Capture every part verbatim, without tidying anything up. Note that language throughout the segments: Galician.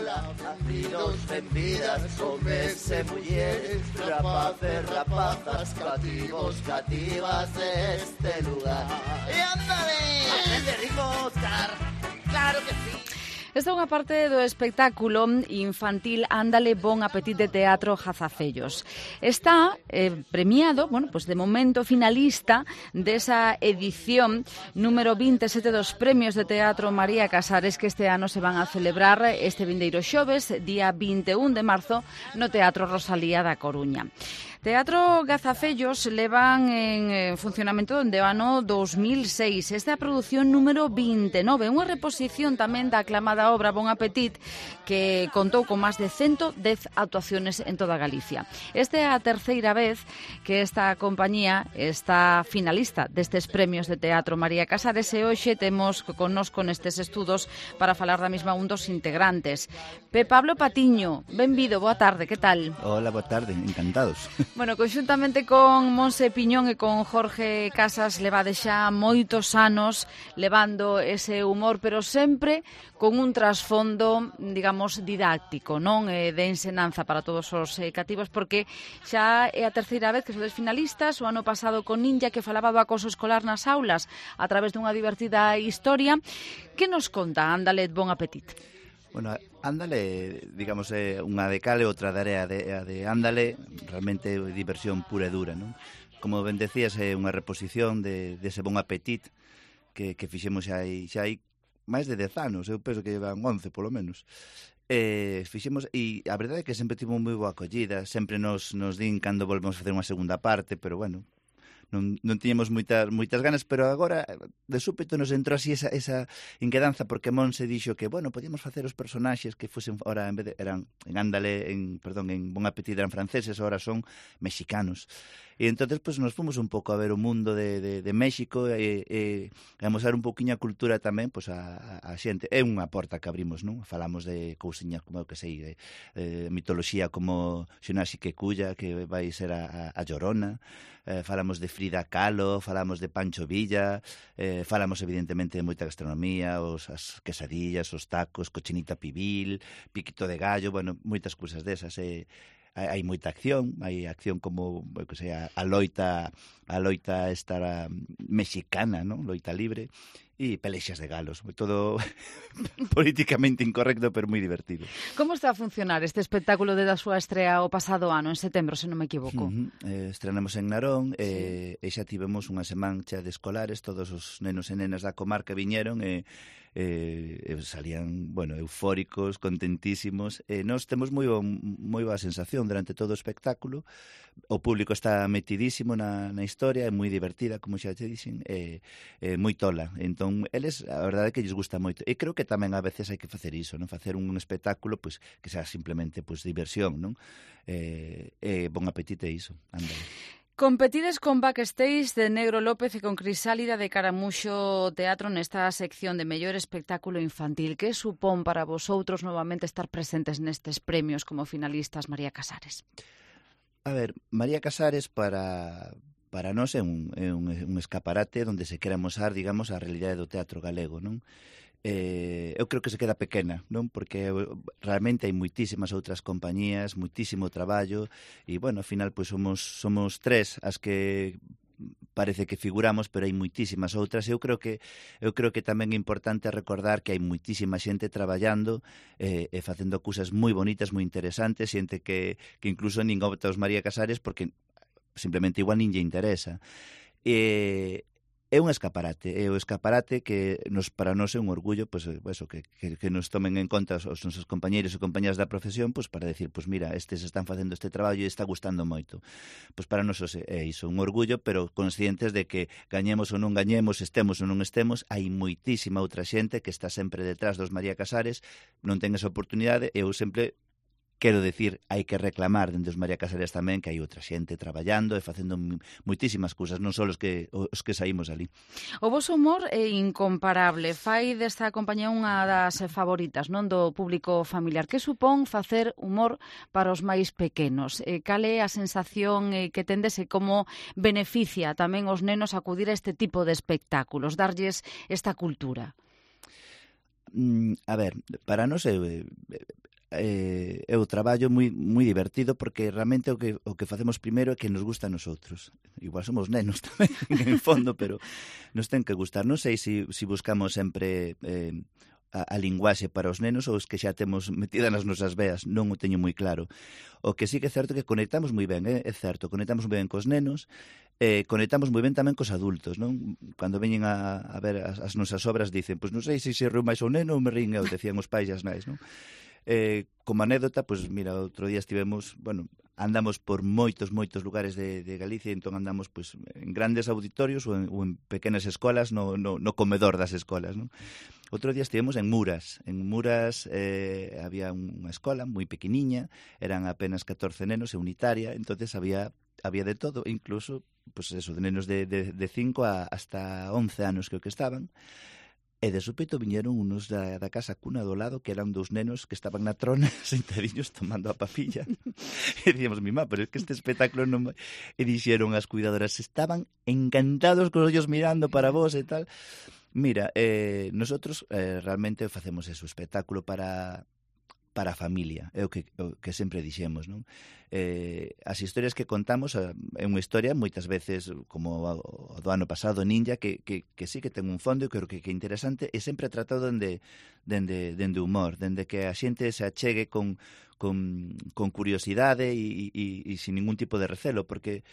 ola, nacidos en vidas, hombres e mulleres, rapaces, rapazas, cativos, cativas deste lugar. E ándale, aprende ritmo, Óscar, claro que sí. Esta é unha parte do espectáculo infantil Ándale, bon apetite de teatro Jazafellos. Está eh, premiado, bueno, pues de momento finalista desa edición número veintisiete dos Premios de Teatro María Casares que este ano se van a celebrar este vindeiro xoves, día vinte e un de marzo, no Teatro Rosalía da Coruña. Teatro Gazafellos levan en funcionamento dende o ano dos mil seis. Esta é a produción número vinte e nove, unha reposición tamén da aclamada obra Bon Appetit, que contou con máis de ciento dez actuaciones en toda Galicia. Esta é a terceira vez que esta compañía está finalista destes premios de Teatro María Casares e hoxe temos connosco nestes estudos para falar da mesma un dos integrantes. Pe Pablo Patiño, benvido, boa tarde, que tal? Hola, boa tarde, encantados. Bueno, conxuntamente con Monse Piñón e con Jorge Casas levade xa moitos anos levando ese humor, pero sempre con un trasfondo, digamos, didáctico, non? Eh, de ensinanza para todos os eh, cativos, porque xa é a terceira vez que sodes finalistas, o ano pasado con Ninja, que falaba do acoso escolar nas aulas a través dunha divertida historia. Que nos conta Ándale, bon apetite? Bueno, Ándale, digamos, é unha de cal e outra de area de, de Ándale, realmente é diversión pura e dura, non? Como ben decías, é unha reposición de, de ese Bon Appetit que, que fixemos xa hai, xa hai máis de dez anos, eu penso que llevan once polo menos. Eh, fixemos, e a verdade é que sempre tivo moi boa acollida, sempre nos, nos din cando volvemos a facer unha segunda parte, pero bueno, non, non tiñamos moitas, moitas ganas, pero agora de súpeto nos entrou así esa, esa inquedanza, porque Monse dixo que, bueno, podíamos facer os personaxes que fosen, ora en vez de, eran en Ándale, en, perdón, en Bon Appetit eran franceses, ahora son mexicanos. E entonces pues, nos fomos un pouco a ver o mundo de, de, de México e, e a mostrar un pouquiño a cultura tamén pues, a, a xente. É unha porta que abrimos, non? Falamos de cousiñas como, que sei, de, de mitoloxía como Xonaxi que Culla, que vai ser a, a Llorona, eh, falamos de Frida Kahlo, falamos de Pancho Villa, eh, falamos evidentemente de moita gastronomía, os, as quesadillas, os tacos, cochinita pibil, piquito de gallo, bueno, moitas cousas desas, e eh, hai moita acción, hai acción como, que sea, a loita, a loita esta mexicana, ¿no? Loita libre, e pelexas de galos, todo políticamente incorrecto, pero moi divertido. Como está a funcionar este espectáculo desde a súa estrea o pasado ano, en setembro, se non me equivoco? Uh-huh. eh, estrenamos en Narón, sí. eh, e xa tivemos unha semancha de escolares, todos os nenos e nenas da comarca viñeron e eh, eh, salían, bueno, eufóricos, contentísimos, e nós temos moi, moi boa sensación durante todo o espectáculo. O público está metidísimo na, na historia, é moi divertida, como xa te dixen, é, é moi tola. Entón, eles, a verdade é que lles gusta moito. E creo que tamén a veces hai que facer iso, non? Facer un espectáculo pues, que sea simplemente pues, diversión, non? Eh, eh, Bon apetite iso, ándale. Competides con Backstage de Negro López e con Crisálida de Caramuxo Teatro nesta sección de mellor espectáculo infantil. Que supón para vosotros novamente estar presentes nestes premios como finalistas, María Casares? A ver, María Casares para... para nós é un, é un, un escaparate onde se quera mostrar, digamos, a realidade do teatro galego, non? Eh, eu creo que se queda pequena, non? Porque realmente hai moitísimas outras compañías, moitísimo traballo, e, bueno, ao final, pois, somos, somos tres as que parece que figuramos, pero hai moitísimas outras. Eu creo que eu creo que tamén é importante recordar que hai moitísima xente traballando eh, e facendo cousas moi bonitas, moi interesantes, xente que, que incluso nin opta os María Casares porque simplemente igual nin lle interesa. E é un escaparate, é o escaparate que nos, para nós é un orgullo, pues, eso, que, que, que nos tomen en conta os, os nosos compañeiros e compañeras da profesión, pues, para decir, pues mira, estes están facendo este traballo e está gustando moito. Pues para nós é iso, un orgullo, pero conscientes de que gañemos ou non gañemos, estemos ou non estemos, hai moitísima outra xente que está sempre detrás dos María Casares, non ten esa oportunidade, e eu sempre quero decir, hai que reclamar dende os María Casares tamén que hai outra xente traballando e facendo moitísimas cousas, non só os que, os que saímos ali. O voso humor é incomparable, fai desta compañía unha das favoritas, non, do público familiar. Que supón facer humor para os máis pequenos? Eh, cal é a sensación eh, que tendes e como beneficia tamén os nenos acudir a este tipo de espectáculos, darlles esta cultura? Mm, a ver, para nós é... eh, é o traballo moi moi divertido porque realmente o que o que facemos primeiro é que nos gusta a nosotros. Igual somos nenos tamén, en fondo, pero nos ten que gustar. Non sei se si, si buscamos sempre eh, a, a linguaxe para os nenos ou os que xa temos metida nas nosas veas, non o teño moi claro. O que sí que é certo que conectamos moi ben, eh? É certo, conectamos moi ben cos nenos, eh, conectamos moi ben tamén cos adultos, non? Cando veñen a, a ver as, as nosas obras dicen, pois non sei se se riu máis o neno ou me rín eu, decían os pais e as nais, non? Eh, como anécdota, pois mira, outro día estivemos, bueno, andamos por moitos, moitos lugares de, de Galicia, entón andamos pois, en grandes auditorios ou en, ou en pequenas escolas, no, no, no comedor das escolas, non? Outro día estivemos en Muras. En Muras eh, había unha escola moi pequeniña, eran apenas catorce nenos e unitaria, entonces había había de todo, incluso pues eso, de nenos de, de, de cinco a, hasta once anos que o que estaban. E de súpeto viñeron unos da, da casa cuna do lado que eran dous nenos que estaban na trona sentadiños tomando a papilla. E dicíamos, mi má, pero é que este espectáculo non... E dixeron as cuidadoras, estaban encantados con os ollos mirando para vos e tal. Mira, eh, nosotros eh, realmente facemos eso, espectáculo para... para a familia, é o que, o que sempre dixemos, non? Eh, as historias que contamos é unha historia moitas veces como o do ano pasado Ninja que, que, que sí que ten un fondo e creo que, que é interesante e sempre tratado dende, dende, dende humor, dende que a xente se achegue con, con, con curiosidade e, e, e sin ningún tipo de recelo, porque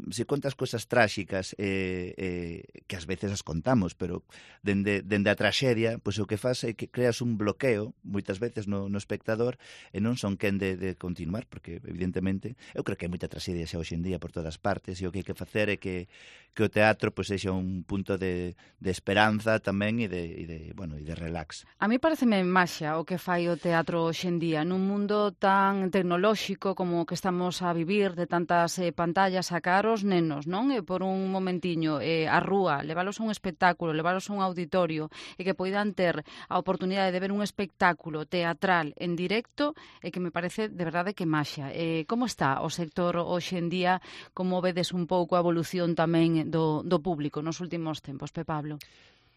se contas cosas tráxicas eh, eh, que ás veces as contamos, pero dende, dende a traxedia, pois o que faz é que creas un bloqueo moitas veces no, no espectador e non son quen de, de continuar, porque evidentemente eu creo que hai moita traxedia xa hoxe en día por todas partes e o que hai que facer é que, que o teatro pois sexa un punto de, de esperanza tamén e de, e de, bueno, e de relax. A mí pareceme maxia o que fai o teatro hoxe en día nun mundo tan tecnolóxico como o que estamos a vivir, de tantas eh, pantallas a os nenos, non? E por un momentiño eh, a rúa, leválos a un espectáculo, leválos a un auditorio e que poidan ter a oportunidade de ver un espectáculo teatral en directo e que me parece de verdade que maxia. Eh, como está o sector hoxe en día? Como vedes un pouco a evolución tamén do, do público nos últimos tempos, Pe Pablo?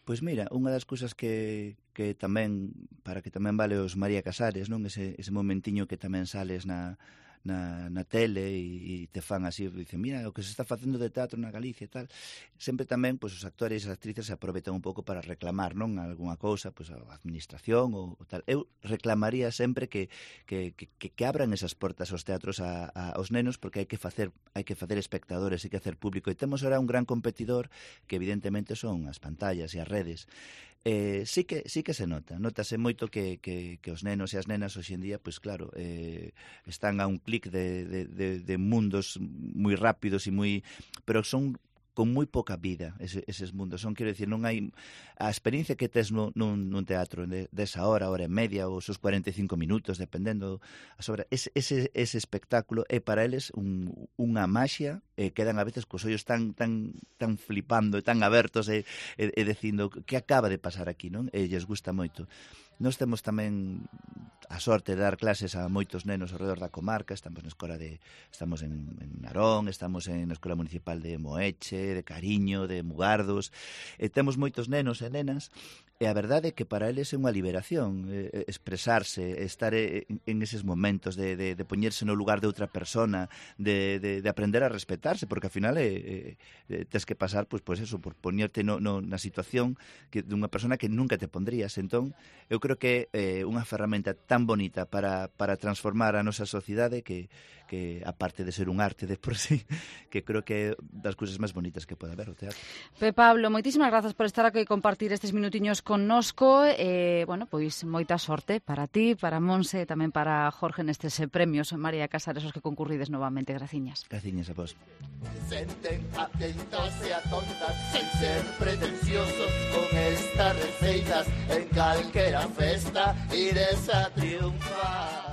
Pois mira, unha das cousas que, que tamén, para que tamén vale os María Casares, non? Ese, ese momentiño que tamén sales na na, na tele e, e te fan así, dicen, mira, o que se está facendo de teatro na Galicia e tal. Sempre tamén, pois, os actores e as actrices se aproveitan un pouco para reclamar, non? Algúna cousa, pois, a administración ou, ou tal. Eu reclamaría sempre que, que, que, que abran esas portas aos teatros a, a, aos nenos, porque hai que facer hai que facer espectadores, hai que hacer público. E temos ahora un gran competidor que evidentemente son as pantallas e as redes. Eh, sí que sí que se nota, notase moito que, que, que os nenos e as nenas hoxe en día, pois claro, eh, están a un clic de, de, de, de mundos moi rápidos e moi, pero son con moi poca vida ese, eses mundos. Son, quero dicir, non hai a experiencia que tes no, nun, nun teatro de, desa hora, hora e media ou os seus cuarenta e cinco minutos, dependendo a sobre, ese, ese, ese espectáculo é para eles un, unha maxia, e quedan a veces cos ollos tan tan tan flipando e tan abertos e, e, e dicindo que acaba de pasar aquí, non? E lles gusta moito. Nós temos tamén a sorte de dar clases a moitos nenos ao redor da comarca. Estamos na escola de estamos en, en Narón, estamos en na Escola Municipal de Moeche, de Cariño, de Mugardos, e temos moitos nenos e nenas, e a verdade é que para eles é unha liberación eh, expresarse, estar en, en eses momentos de, de, de poñerse no lugar de outra persona, de, de, de aprender a respetarse, porque ao final é, é, tes que pasar pois, pois eso, por poñerte no, no, na situación que, de unha persona que nunca te pondrías. Entón, eu creo que é eh, unha ferramenta tan bonita para, para transformar a nosa sociedade que, que aparte de ser un arte de por sí, que creo que é das cousas máis bonitas que pode haber o teatro. Pe Pablo, moitísimas grazas por estar aquí e compartir estes minutiños connosco. Eh, bueno, pois moita sorte para ti, para Monse e tamén para Jorge nestes premios María Casares os que concurrides novamente. Graciñas. Graciñas a vos. Senten atentos e atontas, sen ser pretenciosos, con estas receitas en calquera festa ires a triunfar.